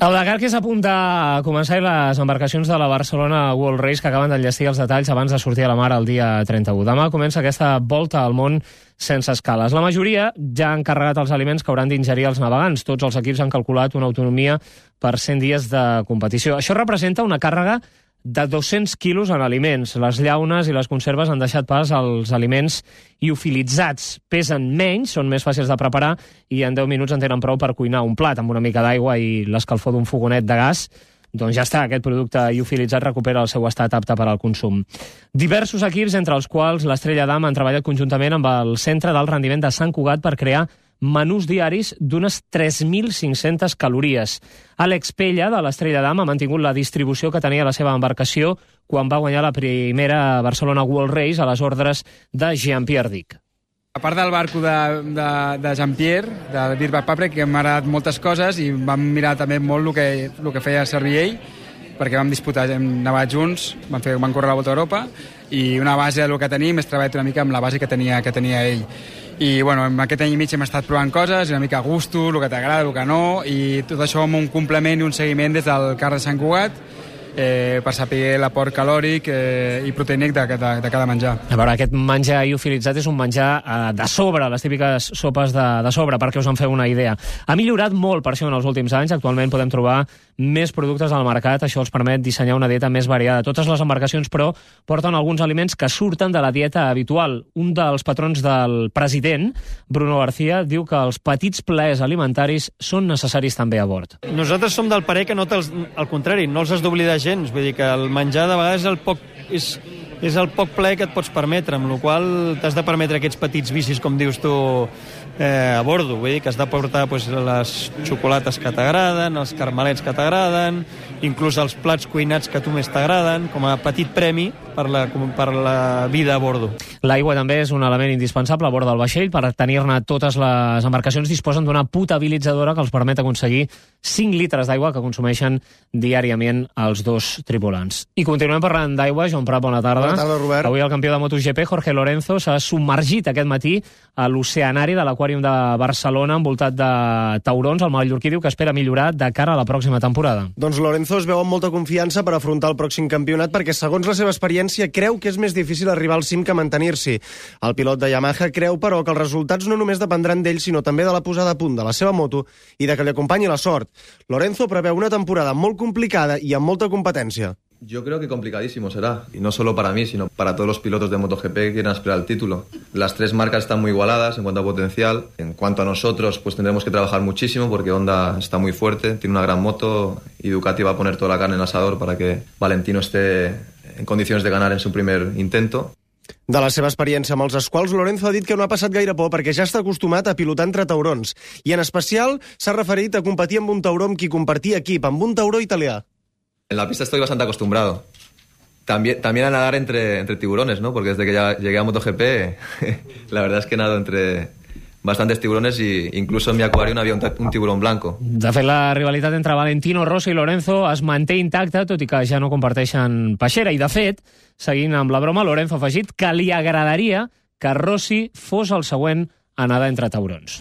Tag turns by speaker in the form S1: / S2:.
S1: El Dakar que s'apunta a començar les embarcacions de la Barcelona World Race que acaben d'enllestir els detalls abans de sortir a la mar el dia 31. Demà comença aquesta volta al món sense escales. La majoria ja han carregat els aliments que hauran d'ingerir els navegants. Tots els equips han calculat una autonomia per 100 dies de competició. Això representa una càrrega de 200 quilos en aliments. Les llaunes i les conserves han deixat pas als aliments liofilitzats. Pesen menys, són més fàcils de preparar i en 10 minuts en tenen prou per cuinar un plat amb una mica d'aigua i l'escalfor d'un fogonet de gas. Doncs ja està, aquest producte liofilitzat recupera el seu estat apte per al consum. Diversos equips, entre els quals l'Estrella d'Am, han treballat conjuntament amb el Centre d'Alt Rendiment de Sant Cugat per crear menús diaris d'unes 3.500 calories. Àlex Pella, de l'Estrella d'Am, ha mantingut la distribució que tenia la seva embarcació quan va guanyar la primera Barcelona World Race a les ordres de Jean-Pierre Dick.
S2: A part del barco de Jean-Pierre, de Dirk Papre, que m'ha agradat moltes coses i vam mirar també molt el que feia servir ell, perquè vam disputar, hem nevat junts, vam córrer la Volta a Europa i una base del que tenim és treballat una mica amb la base que tenia ell. I bueno, en aquest any i mig hem estat provant coses, una mica a gusto, el que t'agrada, el que no, i tot això amb un complement i un seguiment des del CAR de Sant Cugat, per saber l'aport calòric i proteínic de cada menjar.
S1: A veure, aquest menjar liofilitzat és un menjar de sobre, les típiques sopes de sobre, perquè us en feu una idea. Ha millorat molt per això en els últims anys. Actualment podem trobar més productes al mercat. Això els permet dissenyar una dieta més variada. Totes les embarcacions, però, porten alguns aliments que surten de la dieta habitual. Un dels patrons del president, Bruno García, diu que els petits plaers alimentaris són necessaris també a bord.
S3: Nosaltres som del parer que al contrari, no els has d'oblidar gens. Vull dir que el menjar de vegades és el poc plaer que et pots permetre, amb la qual t'has de permetre aquests petits vicis, com dius tu, a bordo. Vull dir que has de portar les xocolates que t'agraden, els carmelets que t'agraden, inclús els plats cuinats que a tu més t'agraden, com a petit premi per la vida a bordo.
S1: L'aigua també és un element indispensable a bord del vaixell. Per tenir-ne totes les embarcacions disposen d'una potabilitzadora que els permet aconseguir 5 litres d'aigua que consumeixen diàriament els dos tripulants. I continuem parlant d'aigua. Joan Prat, bona tarda.
S4: Bona tarda, Robert.
S1: Avui el campió de MotoGP, Jorge Lorenzo, s'ha submergit aquest matí a l'oceanari de l'Aquàrium de Barcelona envoltat de taurons. El mallorquí diu que espera millorar de cara a la pròxima temporada.
S4: Doncs Lorenzo es veu amb molta confiança per afrontar el pròxim campionat perquè, segons la seva experiència, creu que és més difícil arribar al cim que mantenir-s'hi. El pilot de Yamaha creu, però, que els resultats no només dependran d'ell, sinó també de la posada a punt de la seva moto i de que li acompanyi la sort. Lorenzo preveu una temporada molt complicada y amb molta competència.
S5: Yo creo que complicadísimo será, y no solo para mí, sino para todos los pilotos de MotoGP que quieran aspirar al título. Las tres marcas están muy igualadas en cuanto a potencial. En cuanto a nosotros, pues tendremos que trabajar muchísimo porque Honda está muy fuerte, tiene una gran moto y Ducati va a poner toda la carne en el asador para que Valentino esté en condiciones de ganar en su primer intento.
S4: De la seva experiència amb els esquals, Lorenzo ha dit que no ha passat gaire por perquè ja està acostumat a pilotar entre taurons i en especial s'ha referit a competir amb un tauró amb qui compartia equip, amb un tauró italià.
S5: En la pista estoy bastante acostumbrado. También a nadar entre tiburones, ¿no? Porque desde que ya llegué a MotoGP, la verdad es que nado entre bastantes tiburones y incluso en mi acuario había un tiburón blanco.
S1: De fet, la rivalitat entre Valentino Rossi i Lorenzo es manté intacta, tot i que ja no comparteixen peixera. I, de fet, seguint amb la broma, Lorenzo ha afegit que li agradaria que Rossi fos el següent a nedar entre taurons.